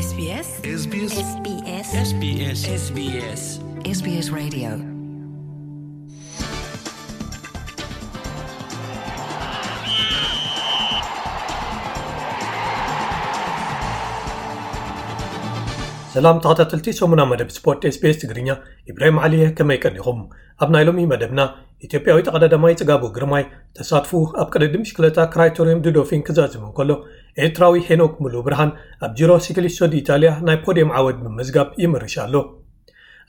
SBS SBS SBS SBS SBS SBS Radio. ሰላም ተኸታተልቲ ሰሙና መደብ ስፖርት SBS ትግርኛ፣ ኢብራሂም ዓሊየ፣ ከመይ ቀኒኹም? ኣብ ናይ ሎሚ መደብና፣ ኢትዮጵያዊ ተቐዳዳማይ ጽጋቡ ግርማይ ተሳትፉ ኣብ ቅድድም ብሽክለታ ክራይቶሪየም ዱዶፊን ክዛዝም እንከሎ፣ ኤርትራዊ ሄኖክ ሙሉ ብርሃን ኣብ ጂሮ ሲክሊስቶ ዲ ኢታልያ ናይ ፖዲየም ዓወት ብምምዝጋብ ይምርሽ ኣሎ።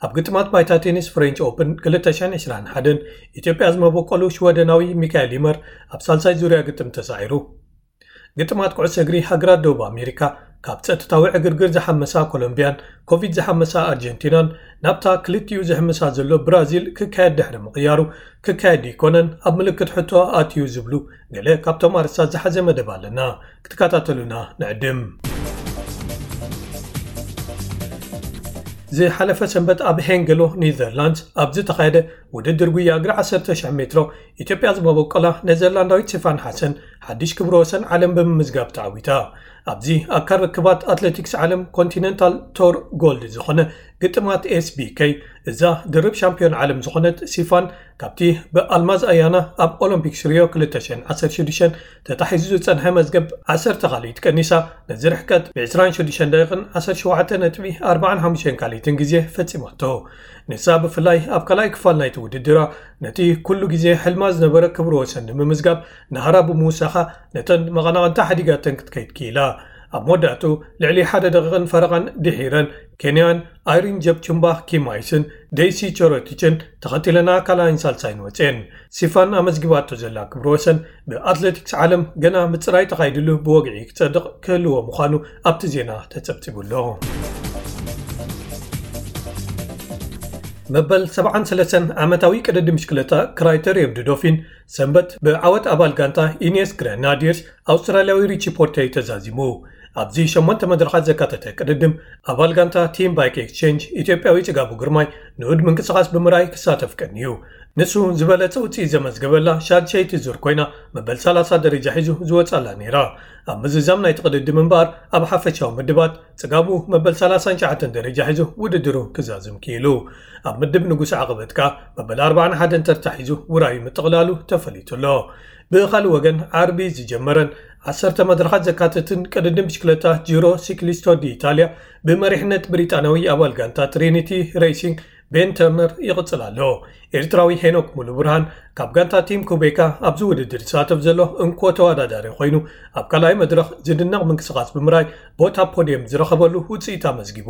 ኣብ ግጥማት ባይታ ቴኒስ ፍሬንች ኦፕን ክልተ ሽሕን ዕስራን ሓደን፣ ኢትዮጵያ ዝመበቆሉ ሽወደናዊ ሚካኤል ይመር ኣብ ሳልሳይ ዙርያ ግጥም ተሳዒሩ። ግጥማት ኩዕሶ እግሪ ሃገራት ደቡብ ኣሜሪካ፣ ካብ ጸጥታዊ ዕግርግር ዝሓመሳ ኮሎምቢያን ኮቪድ ዝሓመሳ ኣርጀንቲናን፣ ናብታ ክልቲኡ ዝሕምሳ ዘሎ ብራዚል ክካየድ ድሕሪ ምቕያሩ፣ ክካየድ ይኮነን ኣብ ምልክት ሕቶ ኣትዩ ዝብሉ ገለ ካብቶም ኣርእስታት ዝሓዘ መደብ ኣለና። ክትከታተሉና ንዕድም። ዝሓለፈ ሰንበት ኣብ ሄንገሎ ኔዘርላንድስ ኣብ ዝተኻየደ ውድድር ጉያ እግሪ ዓሰርተ ሽሕ ሜትሮ፣ ኢትዮጵያ ዝመበቆላ ኔዘርላንዳዊት ሲፋን ሓሰን ሓድሽ ክብረ ወሰን ዓለም ብምምዝጋብ ተዓዊታ። ኣብዚ ኣካል ርክባት ኣትሌቲክስ ዓለም ኮንቲነንታል ቶር ጎልድ ዝኾነ ግጥማት SBK፣ እዛ ድርብ ሻምፒዮን ዓለም ዝኾነት ሲፋን፣ ካብቲ ብኣልማዝ ኣያና ኣብ ኦሎምፒክስ ሪዮ ክልተ ሽሕን ዓሰርተ ሽዱሽተን ተታሒዙ ዝጸንሐ መዝገብ ዓሰርተ ካልኢት ቀኒሳ፣ ነዚ ርሕቀት ብ ዕስራን ሽዱሽተን ደቂቕን ዓሰርተ ሸውዓተ ነጥቢ ኣርባዓን ሓሙሽተን ካልኢትን ግዜ ፈጺማቶ። ንሳ ብፍላይ ኣብ ካልኣይ ክፋል ናይቲ ውድድራ፣ ነቲ ኩሉ ግዜ ሕልማ ዝነበረ ክብረ ወሰን ንምምዝጋብ ናህራ ብምውሳኻ፣ ነተን መቐናቕንታ ሓዲጋተን ክትከይድ ክኢላ። ኣብ መወዳእቱ፣ ልዕሊ ሓደ ደቂቕን ፈረቓን ድሒረን፣ ኬንያን ኣይሪን ጀፕቹምባ ኪማይስን ደይሲ ቸሮቲችን ተኸቲለና ካልኣይን ሳልሳይን ወፅየን። ሲፋን ኣመዝጊባቶ ዘላ ክብረ ወሰን፣ ብኣትሌቲክስ ዓለም ገና ምፅራይ ተኻይድሉ ብወግዒ ክፀድቕ ክህልዎ ምዃኑ ኣብቲ ዜና ተፀብፂቡ ኣሎ። መበል ሰብዓን ሰለስተን ዓመታዊ ቅድድም ብሽክለታ ክራይተሪየም ዱዶፊን ሰንበት ብዓወት ኣባል ጋንታ ኢኒየስ ግረናዲየርስ ኣውስትራልያዊ ሪቺ ፖርተይ ተዛዚሙ። ኣብዚ ሸሞንተ መድረኻት ዘካተተ ቅድድም፣ ኣባል ጋንታ ቲም ባይክ ኤክስቼንጅ ኢትዮጵያዊ ጽጋቡ ግርማይ ንኡድ ምንቅስቓስ ብምርኣይ ክሳተፍ ቀንዩ። ንሱ ዝበለጸ ውጽኢት ዘመዝገበላ ሻድሸይቲ ዙር ኮይና፣ መበል ሰላሳ ደረጃ ሒዙ ዝወጻላ ነይራ። ኣብ ምዝዛም ናይቲ ቅድድም እምበኣር፣ ኣብ ሓፈሻዊ ምድባት ጽጋቡ መበል ሰላሳን ትሽዓተን ደረጃ ሒዙ ውድድሩ ክዛዝም ክኢሉ። ኣብ ምድብ ንጉስ ዓቐበት ከኣ መበል ኣርባዓን ሓደን ተርታ ሒዙ ውራዩ ምጥቕላሉ ተፈሊጡ ኣሎ። ብኻልእ ወገን፣ ዓርቢ ዝጀመረን ዓሰርተ መድረኻት ዘካተትን ቅድድም ብሽክለታ ጂሮ ሲክሊስቶ ዲ ኢታልያ፣ ብመሪሕነት ብሪጣንያዊ ኣባል ጋንታ ትሪኒቲ ሬሲንግ ቤን ተርነር ይቕጽል ኣሎ። ኤርትራዊ ሄኖክ ሙሉ ብርሃን፣ ካብ ጋንታ ቲም ኩቤካ፣ ኣብዚ ውድድር ዝሳተፍ ዘሎ እንኮ ተወዳዳሪ ኮይኑ፣ ኣብ ካልኣይ መድረኽ ዝድነቕ ምንቅስቓስ ብምርኣይ፣ ቦታ ፖድየም ዝረኸበሉ ውጽኢት ኣመዝጊቡ።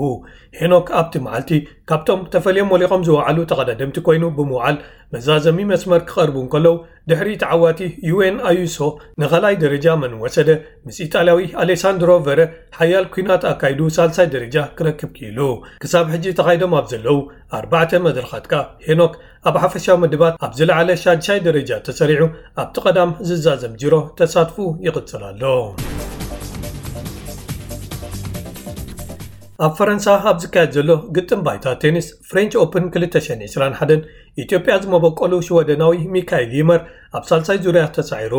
ሄኖክ ኣብቲ መዓልቲ ካብቶም ተፈልዮም ሞሊቖም ዝወዓሉ ተቐዳደምቲ ኮይኑ ብምውዓል፣ መዛዘሚ መስመር ክቐርቡ እንከለዉ፣ ድሕሪ ተዓዋቲ ዩኤን ኣዩሶ ንኻልኣይ ደረጃ መን ወሰደ፣ ምስ ኢጣልያዊ ኣሌሳንድሮ ቨረ ሓያል ኲናት ኣካይዱ ሳልሳይ ደረጃ ክረክብ ክኢሉ። ክሳብ ሕጂ ተኻይዶም ኣብ ዘለዉ ኣርባዕተ መድረኻት ከኣ፣ ሄኖክ ኣብ ሓፈሻዊ ምድባት ኣብ ዝለዓለ ሻድሻይ ደረጃ ተሰሪዑ፣ ኣብቲ ቀዳም ዝዛዘም ጂሮ ተሳትፉ ይቕጽል ኣሎ። ኣብ ፈረንሳ ኣብ ዝካየድ ዘሎ ግጥም ባይታ ቴኒስ ፍሬንች ኦፕን ክልተ ሽሕን ዕስራን ሓደን፣ ኢትዮጵያ ዝመበቆሉ ሽወደናዊ ሚካኤል ይመር ኣብ ሳልሳይ ዙርያ ተሳዒሩ።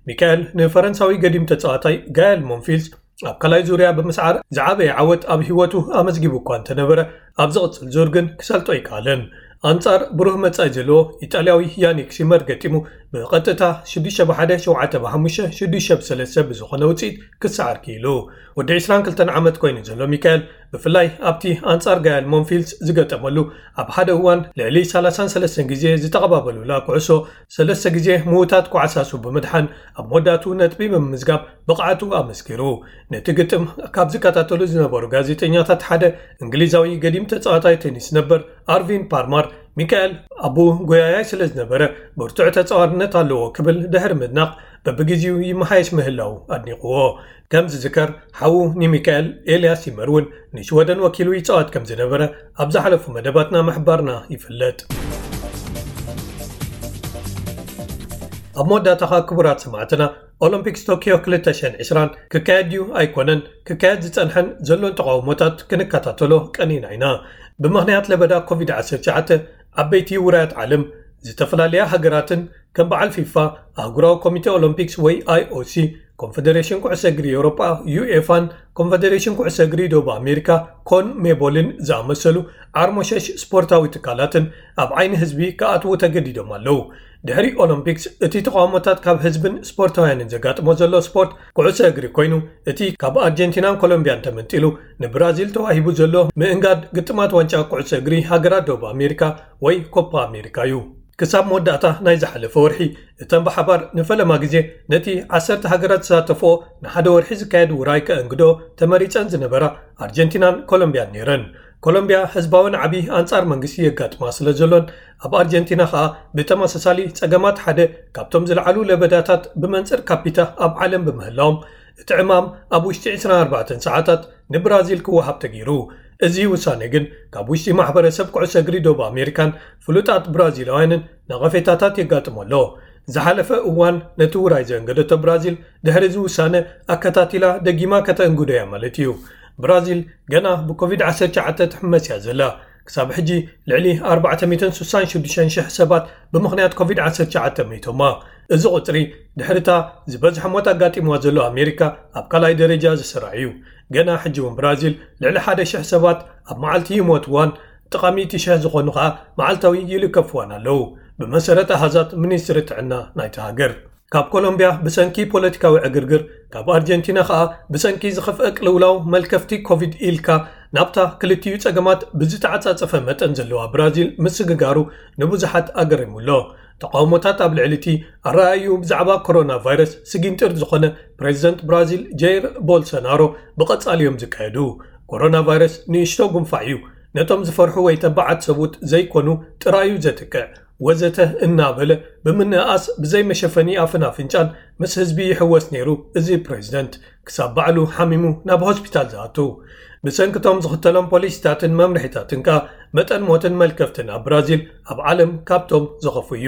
ሚካኤል ንፈረንሳዊ ገዲም ተጻዋታይ ጋየል ሞንፊልስ ኣብ ካልኣይ ዙርያ ብምስዓር ዝዓበየ ዓወት ኣብ ህይወቱ ኣመዝጊቡ እኳ እንተነበረ፣ ኣብ ዝቕጽል ዙር ግን ክሰልጦ ኣይከኣለን። ኣንጻር ብሩህ መጻኢ ዘለዎ ኢጣልያዊ ያኒክ ሲመር ገጢሙ፣ ብቐጥታ ሽዱሽተ ብ ሓደ፣ ሸውዓተ ብ ሓሙሽተ፣ ሽዱሽተ ብ ሰለስተ ብዝኾነ ውጽኢት ክሰዓር ክኢሉ። ወዲ ዕስራን ክልተን ዓመት ኮይኑ ዘሎ ሚካኤል፣ ብፍላይ ኣብቲ ኣንጻር ጋያል ሞንፊልስ ዝገጠመሉ፣ ኣብ ሓደ እዋን ልዕሊ ሰላሳን ሰለስተን ግዜ ዝተቐባበሉላ ኩዕሶ፣ ሰለስተ ግዜ ምውታት ኳዕሳሱ ብምድሓን፣ ኣብ መወዳእቱ ነጥቢ ብምምዝጋብ ብቕዓቱ ኣመስኪሩ። ነቲ ግጥም ካብ ዝከታተሉ ዝነበሩ ጋዜጠኛታት ሓደ፣ እንግሊዛዊ ገዲም ተጻዋታይ ቴኒስ ነበር ኣርቪን ፓልማር፣ ሚካኤል ኣቦኡ ጎያያይ ስለ ዝነበረ፣ ብርቱዕ ተጻዋርነት ኣለዎ ክብል ድሕሪ ምድናቕ፣ በብግዜኡ ይመሓየሽ ምህላው ኣድኒቕዎ። ከም ዝዝከር፣ ሓዉ ንሚካኤል፣ ኤልያስ ይመር እውን ንሽወደን ወኪሉ ይጻወት ከም ዝነበረ ኣብ ዝሓለፉ መደባትና ምሕባርና ይፍለጥ። ኣብ መወዳእታ ኸኣ፣ ክቡራት ሰማዕትና፣ ኦሎምፒክስ ቶኪዮ ክልተ ሽሕን ዕስራን ክካየድ ድዩ ኣይኮነን፣ ክካየድ ዝጸንሐን ዘሎን ተቓውሞታት ክንከታተሎ ቀኒና ኢና። ብምኽንያት ለበዳ ኮቪድ ዓሰርተ ትሽዓተ፣ ዓበይቲ ውራያት ዓለም፣ ዝተፈላለያ ሃገራትን ከም በዓል ፊፋ፣ ኣህጉራዊ ኮሚቴ ኦሎምፒክስ ወይ ኣይኦሲ፣ ኮንፈደሬሽን ኩዕሶ እግሪ ኤውሮጳ፣ ዩኤፋን ኮንፈደሬሽን ኩዕሶ እግሪ ደቡብ ኣሜሪካ፣ ኮን ሜቦልን ዝኣመሰሉ ዓርሞሸሽ ስፖርታዊ ትካላትን ኣብ ዓይኒ ህዝቢ ክኣትዉ ተገዲዶም ኣለዉ። ድሕሪ ኦሎምፒክስ፣ እቲ ተቓውሞታት ካብ ህዝብን ስፖርታውያንን ዘጋጥሞ ዘሎ ስፖርት ኩዕሶ እግሪ ኮይኑ፣ እቲ ካብ ኣርጀንቲናን ኮሎምቢያን ተመንጢሉ ንብራዚል ተዋሂቡ ዘሎ ምእንጋድ ግጥማት ዋንጫ ኩዕሶ እግሪ ሃገራት ደቡብ ኣሜሪካ ወይ ኮፓ ኣሜሪካ እዩ። ክሳብ መወዳእታ ናይ ዝሓለፈ ወርሒ፣ እተን ብሓባር ንፈለማ ግዜ ነቲ ዓሰርተ ሃገራት ዝሳተፍኦ ንሓደ ወርሒ ዝካየድ ውራይ ከእንግዶ ተመሪጸን ዝነበራ ኣርጀንቲናን ኮሎምቢያን ነይረን። ኮሎምቢያ ህዝባዊ ናዕቢ ኣንጻር መንግስቲ የጋጥማ ስለ ዘሎን፣ ኣብ ኣርጀንቲና ከኣ ብተመሳሳሊ ጸገማት ሓደ ካብቶም ዝለዓሉ ለበዳታት ብመንጽር ካፒታ ኣብ ዓለም ብምህላዎም፣ እቲ ዕማም ኣብ ውሽጢ ዕስራን ኣርባዕተን ሰዓታት ንብራዚል ክወሃብ ተገይሩ። እዚ ውሳኔ ግን ካብ ውሽጢ ማሕበረሰብ ኩዕሶ እግሪ ደቡብ ኣሜሪካን ፍሉጣት ብራዚላውያንን ነቐፌታታት የጋጥሞ ኣሎ። ዝሓለፈ እዋን ነቲ ውራይ ዘእንገደቶ ብራዚል፣ ድሕሪ እዚ ውሳነ ኣከታቲላ ደጊማ ከተእንግዶ እያ ማለት እዩ። ብራዚል ገና ብኮቪድ ዓሰርተ ትሽዓተ ትሕመስ እያ ዘላ። ክሳብ ሕጂ ልዕሊ ኣርባዕተ ሚእትን ስሳን ሽዱሽተን ሽሕ ሰባት ብምኽንያት ኮቪድ ዓሰርተ ትሽዓተ መይቶማ። እዚ ቁጽሪ ድሕሪታ ዝበዝሐ ሞት ኣጋጢምዋ ዘሎ ኣሜሪካ ኣብ ካልኣይ ደረጃ ዝስራዕ እዩ። ገና ሕጂ እውን ብራዚል ልዕሊ ሓደ ሽሕ ሰባት ኣብ መዓልቲ ይሞትዋን ጥቓ ሚእቲ ሽሕ ዝኾኑ ኸኣ መዓልታዊ ይልከፍዋን ኣለዉ፣ ብመሰረት ኣሃዛት ሚኒስትሪ ጥዕና ናይቲ ሃገር። ካብ ኮሎምቢያ ብሰንኪ ፖለቲካዊ ዕግርግር፣ ካብ ኣርጀንቲና ኸኣ ብሰንኪ ዝኸፍአ ቅልውላው መልከፍቲ ኮቪድ ኢልካ ናብታ ክልቲኡ ጸገማት ብዝተዓጻጸፈ መጠን ዘለዋ ብራዚል ምስግጋሩ ንብዙሓት ኣገሪሙ ኣሎ። ተቓውሞታት ኣብ ልዕሊ እቲ ኣረኣእዩ ብዛዕባ ኮሮና ቫይረስ ስጊንጥር ዝኾነ ፕሬዚደንት ብራዚል ጀይር ቦልሶናሮ ብቐጻሊ እዮም ዝካየዱ። ኮሮና ቫይረስ ንእሽቶ ጉንፋዕ እዩ፣ ነቶም ዝፈርሑ ወይ ተባዓት ሰብኡት ዘይኮኑ ጥራይ እዩ ዘጥቅዕ፣ ወዘተ እናበለ ብምንእኣስ ብዘይ መሸፈኒ ኣፍን ኣፍንጫን ምስ ህዝቢ ይሕወስ ነይሩ። እዚ ፕሬዚደንት ክሳብ ባዕሉ ሓሚሙ ናብ ሆስፒታል ዝኣቱ። ብሰንክቶም ዝኽተሎም ፖሊሲታትን መምርሒታትን ከኣ መጠን ሞትን መልከፍትን ኣብ ብራዚል ኣብ ዓለም ካብቶም ዝኸፉ እዩ።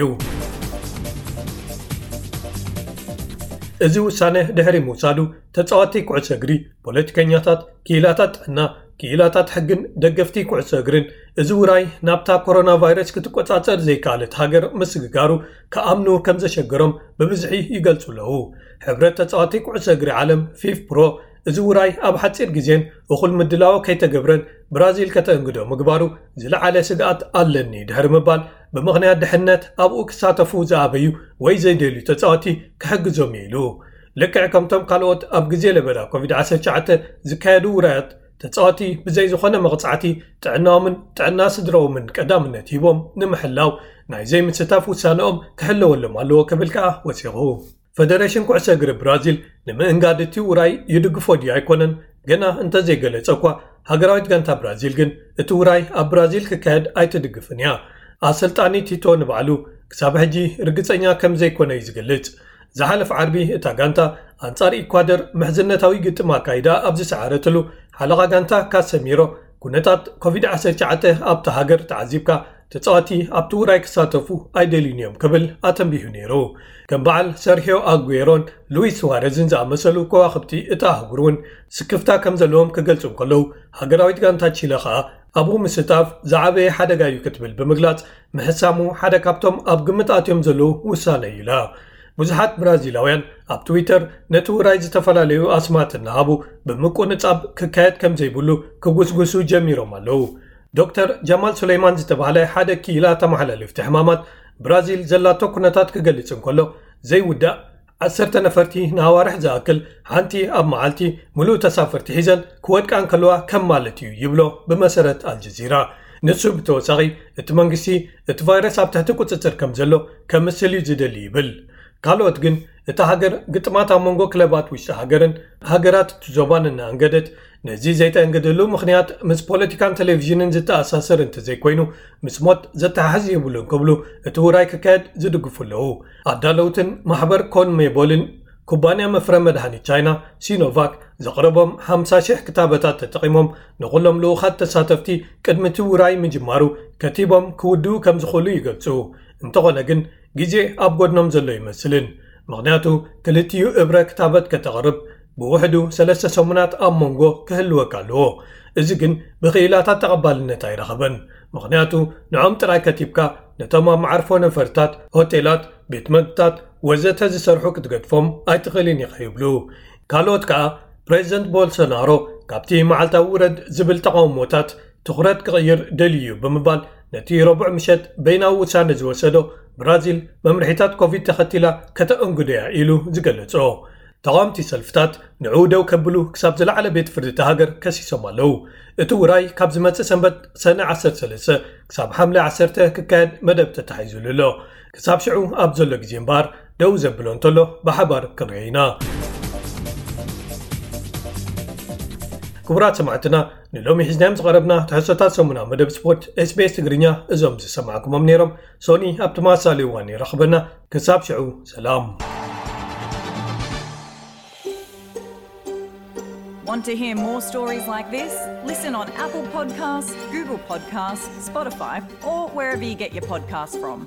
እዚ ውሳነ ድሕሪ ምውሳዱ፣ ተጻወትቲ ኩዕሶ እግሪ፣ ፖለቲከኛታት፣ ክኢላታት ጥዕና፣ ክኢላታት ሕግን ደገፍቲ ኩዕሶ እግርን፣ እዚ ውራይ ናብታ ኮሮና ቫይረስ ክትቆጻጸር ዘይከኣለት ሃገር ምስግጋሩ ክኣምኑ ከም ዘሸገሮም ብብዝሒ ይገልጹ ኣለዉ። ሕብረት ተጻወትቲ ኩዕሶ እግሪ ዓለም፣ ፊፍ ፕሮ፣ እዚ ውራይ ኣብ ሓጺር ግዜን እኹል ምድላዎ ከይተገብረን ብራዚል ከተእንግዶ ምግባሩ ዝለዓለ ስግኣት ኣለኒ ድሕሪ ምባል፣ ብምኽንያት ድሕነት ኣብኡ ክሳተፉ ዝኣበዩ ወይ ዘይደልዩ ተጻወቲ ክሕግዞም እዩ ኢሉ። ልክዕ ከምቶም ካልኦት ኣብ ግዜ ለበዳ ኮቪድ ዓሰርተ ትሽዓተ ዝካየዱ ውራያት፣ ተጻወቲ ብዘይ ዝኾነ መቕጻዕቲ ጥዕናኦምን ጥዕና ስድራኦምን ቀዳምነት ሂቦም ንምሕላው ናይ ዘይምስታፍ ውሳነኦም ክሕለወሎም ኣለዎ ክብል ከኣ ወሲኹ። ፈደሬሽን ኩዕሶ እግሪ ብራዚል ንምእንጋድ እቲ ውራይ ይድግፎ ድዩ ኣይኮነን ገና እንተዘይገለጸ እኳ፣ ሃገራዊት ጋንታ ብራዚል ግን እቲ ውራይ ኣብ ብራዚል ክካየድ ኣይትድግፍን እያ። ኣሰልጣኒ ቲቶ ንባዕሉ ክሳብ ሕጂ ርግጸኛ ከም ዘይኮነ እዩ ዝገልጽ። ዝሓለፈ ዓርቢ እታ ጋንታ ኣንጻር ኢኳደር ምሕዝነታዊ ግጥም ኣካይዳ ኣብ ዝሰዓረትሉ፣ ሓለቓ ጋንታ ካሰሚሮ፣ ኩነታት ኮቪድ ዓሰርተ ትሽዓተ ኣብታ ሃገር ተዓዚብካ፣ ተጻወቲ ኣብቲ ውራይ ክሳተፉ ኣይደልዩን እዮም ክብል ኣተንቢሁ ነይሩ። ከም በዓል ሰርሂዮ ኣጉዌሮን ሉዊስ ሱዋረዝን ዝኣመሰሉ ከዋኽብቲ እታ ኣህጉር እውን ስክፍታ ከም ዘለዎም ክገልጹ እንከለዉ፣ ሃገራዊት ጋንታ ቺለ ኸኣ ኣብኡ ምስታፍ ዝዓበየ ሓደጋ እዩ ክትብል ብምግላጽ፣ ምሕሳሙ ሓደ ካብቶም ኣብ ግምት ኣትዮም ዘለዉ ውሳነ እዩ ኢላ። ብዙሓት ብራዚላውያን ኣብ ትዊተር ነቲ ውራይ ዝተፈላለዩ ኣስማት እናሃቡ ብምቁንጻብ ክካየድ ከም ዘይብሉ ክጉስጉሱ ጀሚሮም ኣለዉ። ዶክተር ጀማል ሱለይማን ዝተባህለ ሓደ ክኢላ ተመሓላለፍቲ ሕማማት ብራዚል ዘላቶ ኩነታት ክገልጽ እንከሎ፣ ዘይውዳእ ዓሰርተ ነፈርቲ ንኣዋርሕ ዝኣክል ሓንቲ ኣብ መዓልቲ ምሉእ ተሳፈርቲ ሒዘን ክወድቃ እንከለዋ ከም ማለት እዩ ይብሎ ብመሰረት ኣልጀዚራ። ንሱ ብተወሳኺ እቲ መንግስቲ እቲ ቫይረስ ኣብ ትሕቲ ቁጽጽር ከም ዘሎ ከምስል እዩ ዝደሊ ይብል። ካልኦት ግን እታ ሃገር ግጥማት ኣብ መንጎ ክለባት ውሽጢ ሃገርን ሃገራት እቲ ዞባን እናኣንገደት፣ ነዚ ዘይተእንግደሉ ምኽንያት ምስ ፖለቲካን ቴሌቪዥንን ዝተኣሳሰር እንተዘይኮይኑ ምስ ሞት ዘተሓሕዝ የብሉን ክብሉ እቲ ውራይ ክካየድ ዝድግፉ ኣለዉ። ኣዳለውትን ማሕበር ኮንሜቦልን ኩባንያ መፍረ መድሃኒት ቻይና ሲኖቫክ ዘቕረቦም ሓምሳ ሽሕ ክታበታት ተጠቒሞም ንኹሎም ልኡኻት ተሳተፍቲ ቅድሚ እቲ ውራይ ምጅማሩ ከቲቦም ክውድኡ ከም ዝኽእሉ ይገልጹ። እንተኾነ ግን ግዜ ኣብ ጎድኖም ዘሎ ይመስልን። ምኽንያቱ ክልቲኡ እብረ ክታበት ከተቕርብ ብውሕዱ ሰለስተ ሰሙናት ኣብ መንጎ ክህልወካ ኣለዎ። እዚ ግን ብኽኢላታት ተቐባልነት ኣይረኸበን። ምኽንያቱ ንዖም ጥራይ ከቲብካ ነቶም ኣብ መዓርፎ ነፈርታት፣ ሆቴላት፣ ቤት መግብታት፣ ወዘተ ዝሰርሑ ክትገድፎም ኣይትኽእልን ኢኻ ይብሉ። ካልኦት ከኣ ፕሬዚደንት ቦልሶናሮ ካብቲ መዓልታዊ ውረድ ዝብል ተቓውሞታት ትኹረት ክቕይር ደልዩ እዩ ብምባል ነቲ ረቡዕ ምሸት በይናዊ ውሳነ ዝወሰዶ ብራዚል መምርሒታት ኮቪድ ተኸቲላ ከተእንግዶ እያ ኢሉ ዝገለጾ። ተቓወምቲ ሰልፍታት ንዕኡ ደው ከብሉ ክሳብ ዝለዓለ ቤት ፍርዲ እታ ሃገር ከሲሶም ኣለዉ። እቲ ውራይ ካብ ዝመጽእ ሰንበት ሰነ ዓሰርተ ሰለስተ ክሳብ ሓምለ ዓሰርተ ክካየድ መደብ ተታሒዙሉ ኣሎ። ክሳብ ሽዑ ኣብ ዘሎ ግዜ እምበኣር ደው ዘብሎ እንተሎ ብሓባር ክንሪኦ ኢና። ክቡራት ሰማዕትና ንሎሚ ሒዝናዮም ዝቐረብና ትሕዝቶታት ሰሙና መደብ ስፖርት ኤስቢኤስ ትግርኛ እዞም ዝሰማዕኩሞም ነይሮም። ሶኒ ኣብ ተመሳሳሊ እዋን ይረኽበና። ክሳብ ሽዑ ሰላም። Want to hear more stories like this? Listen on Apple Podcasts, Google Podcasts, Spotify, or wherever you get your podcasts from.